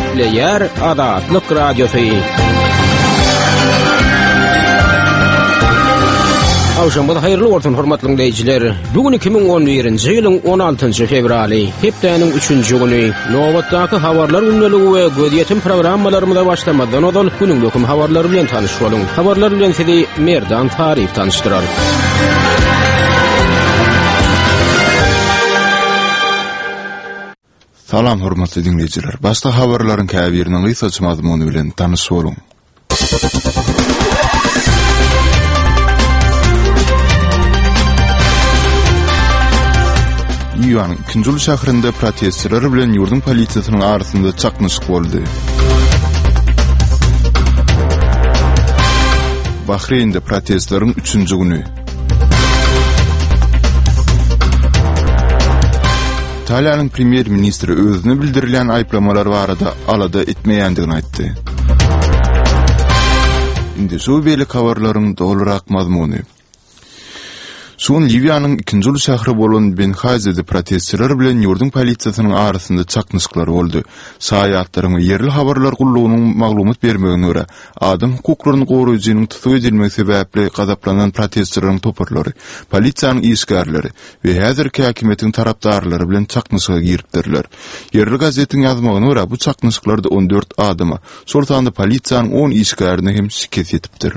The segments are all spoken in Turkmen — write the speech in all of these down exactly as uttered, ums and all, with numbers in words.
Gepleýär Azatlyk Radiosy. Agşamyňyz haýyrly bolsun hormatly dinleýjiler. Bu gün iki müň on birinji ýylyň on altynjy fewraly, hepdäniň üçünji güni. Nobatdaky habarlar gündeligi we gözýetim programmalarymyza başlamazdan ozal günüň möhüm habarlary bilen tanyş boluň. Habarlar bilen sizi Merdan Taryf tanyşdyrar. Salam hormatly dinleýjiler. Başda habarlaryň käbiriniň gysgaça mazmuny bilen tanyş boluň. Liwiýanyň ikinji uly şäherinde protestçiler bilen ýurduň polisiýasynyň arasynda çaknyşyk boldy. Bahreýnde protestleriň üçünji güni. Italiýanyň premýer-ministri özüne bildirilýän aýyplamalar barada alada etmeýändigini aýtdy. Indi şu beýleki habarlaryň dolurak mazmuny. Şu gün Liwiýanyň ikinji uly şäheri bolan Benhazide protestçiler bilen ýurduň polisiýasynyň arasynda çaknyşyklar boldy. Şaýatlaryň we ýerli habarlar gullugynyň maglumat bermegine görä, adam hukuklaryny goraýjynyň tussag edilmegi sebäpli gazaplanan protestçileriň toparlary, polisiýanyň işgärleri we häzirki häkimiýetiň tarapdarlary bilen çaknyşyga giripdirler. Ýerli gazetiň ýazmagyna görä, bu çaknyşyklarda on dört adama, şol sanda polisiýanyň on işgärine hem şikes ýetipdir.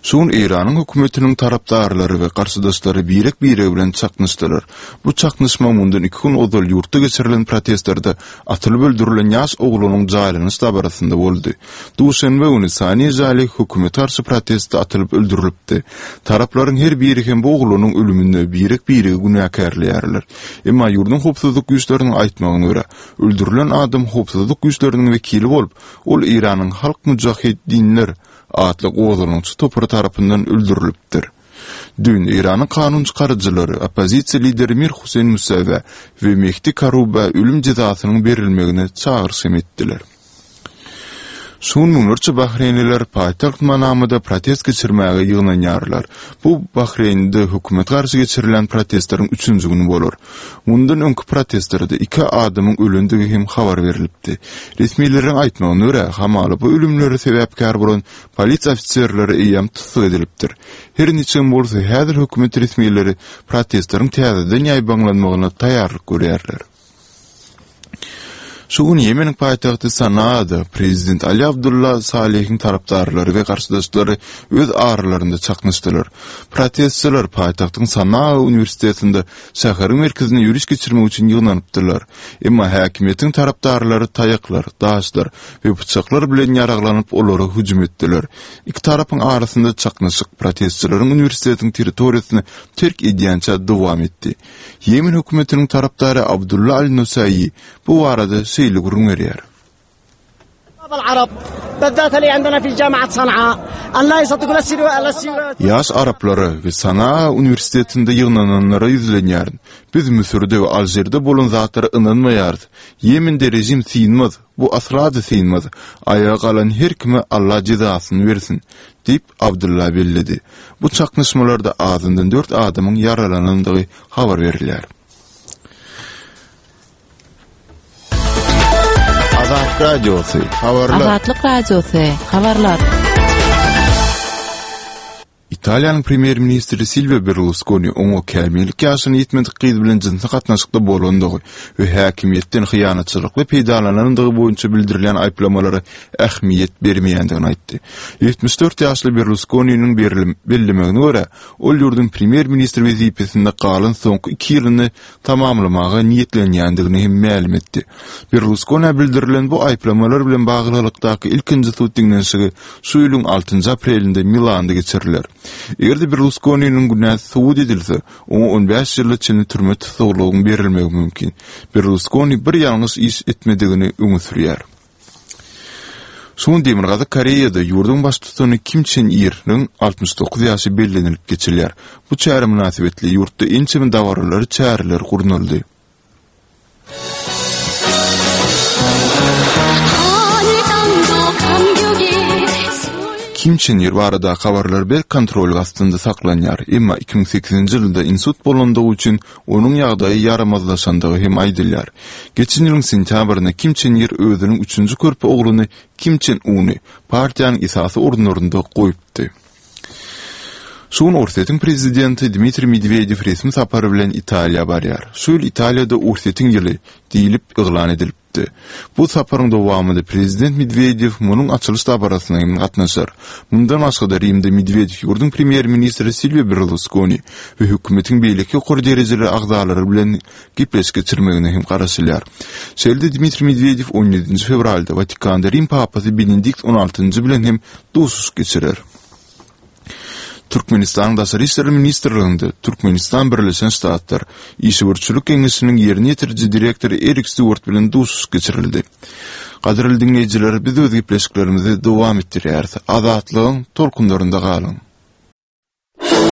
Şu gün Eýranyň hökümetiniň tarapdarlary we garşydaşlary birek-biregi bilen çaknyşdylar. Bu çaknyşma mundan iki gün ozal ýurtda geçirilen protestlerde atylyp öldürilen ýaş oglanyň jaýlanyş dabarasynda boldy. Duşenbe güni Sani Jali hökümete garşy protestde atylyp öldürilipdi. Taraplaryň her biri hem bu oglanyň ölüminde birek-biregi günäkärleýärler. Emma ýurduň howpsuzlyk güýçleriniň aýtmagyna görä, öldürilen adam howpsuzlyk güýçleriniň wekili bolup, ol Eýranyň Halk Mujaheddinler atly gozgalaňçy topary tarapyndan öldürilipdir. Düýn Eýranyň kanun çykaryjylary oppozisiýa lideri Mir Huseýn Musawä we Mehdi Karubä ölüm jezasynyň berilmegine çagyryş hem etdiler. Şu gün müňlerçe bahreýnliler paýtagt Manamada protest geçirmäge ýygnanýarlar. Bu Bahreýnde hökümete garşy geçirilýän protestleriň üçünji güni bolar. Mundan öňki protestlerde iki adamyň ölendigi hem habar berlipdi. Resmileriň aýtmagyna görä, hamala bu ölümlere sebäpkär bolan polisiýa ofiserleri eýýäm tussag edilipdir. Her niçigem bolsa, häzir hökümet resmileri protestleriň täzeden ýaýbaňlanmagyna taýýarlyk görýärler. Şu gün Ýemeniň paýtagty Sanaada prezident Ali Abdulla Salehiň tarapdarlary we garşydaşlary öz aralarynda çaknyşdylar. Protestçiler paýtagtyň Sanaa uniwersitetinde şäheriň merkezine ýöriş geçirmek üçin ýygnanypdylar. Emma häkimiýetiň tarapdarlary taýaklar, daşlar we pyçaklar bilen ýaraglanyp olara hüjüm etdiler. Iki tarapyň arasynda çaknyşyk protestçileriň uniwersitetiň territoriýasyny terk edýänçä dowam etdi. Ýemen hökümetiniň tarapdary Abdulla Al-Nusaýy bu barada şeýle gürrüň berýär. Ýaş araplara we Sanaa uniwersitetinde ýygnananlara ýüzlenýärin. Biz Müsürde we Alžirde bolan zatlara ynanmaýarys. Ýemende režim synmaz, bu asla-da synmaz. Aýaga galan her kime Allah jezasyny bersin, diýip, Abdulla belledi. Bu çaknyşmalarda azyndan dört adamyň ýaralanandygy habar berilýär. Azatlyk Radiosy, habarlar. Azatlyk Radiosy, habarlar. Italiýanyň premýer-ministri Silwio Berluskoni oňa kämillik ýaşyna ýetmedik gyz bilen jynsy gatnaşykda bolandygy we häkimiýetden hyýanatçylykly peýdalanandygy boýunça bildirilýän aýyplamalara ähmiýet bermeýändigini aýtdy. Ýetmiş dört ýaşly Berluskoniniň bellemegine görä, ol ýurduň premýer-ministri wezipesinde galan soňky iki ýylyny tamamlamaga niýetlenýändigini hem mälim etdi. Berluskonä bildirilen bu aýyplamalar bilen baglylykdaky ilkinji sud diňlenişigi şu ýylyň altynjy aprelinde Milanda geçiriler. Eger-de Berluskoniniň günäsi subut edilse, oňa on bäş ýyla çenli türme tussaglygyň berilmegi mümkin. Berluskoni bir ýalňyş iş etmedigini öňe sürýär. Şu gün Demirgazyk Koreýada ýurduň baştutany Kim Çen Irniň altmyş dokuz ýaşy bellenilip geçilýär. Bu çäre mynasybetli ýurtda ençeme dabaralary çäreler gurnaldy. Kim Çen Ir baradaky habarlar berk kontrol astynda saklanýar. Emma iki müň sekizinji ýylda insult bolandygy üçin onuň ýagdaýy ýaramazlaşandygy hem aýdylýar. Geçen ýylyň sentýabrynda Kim Çen Ir özüniň üçünji körpe ogluny Kim Çen Uny partiýanyň esasy orunlarynda goýupdy. Şu gün Orsýetiň prezidenti Dmitriý Medwedew resmi sapar bilen Italiýa barýar. Şu ýyl Italiýada Orsýetiň ýyly diýlip yglan edilipdi. Bu saparyň dowamynda prezident Medwedew munuň açylyş dabarasyna hem gatnaşar. Mundan başga-da Rimde Medwedew ýurduň premýer-ministri Silwio Berluskoni we hökümetiň beýleki ýokary derejeli agzalary bilen gepleşik geçirmegine hem garaşylýar. Şeýle-de Dmitriý Medwedew on ýedinji fewralda Watikanda Rim papasy Benedikt on altynjy bilen hem duşuşyk geçirer. Türkmenistanyň Daşary işler ministrliginde Türkmenistan Birleşen Ştatlar Işewürçilik Geňeşiniň ýerine ýetiriji direktory Erik Stewart bilen duşuşyk geçirildi. Gadyrly diňleýjiler, biz öz gepleşiklerimizi dowam etdirýäris. Azatlygyň tolkunlarynda galyň.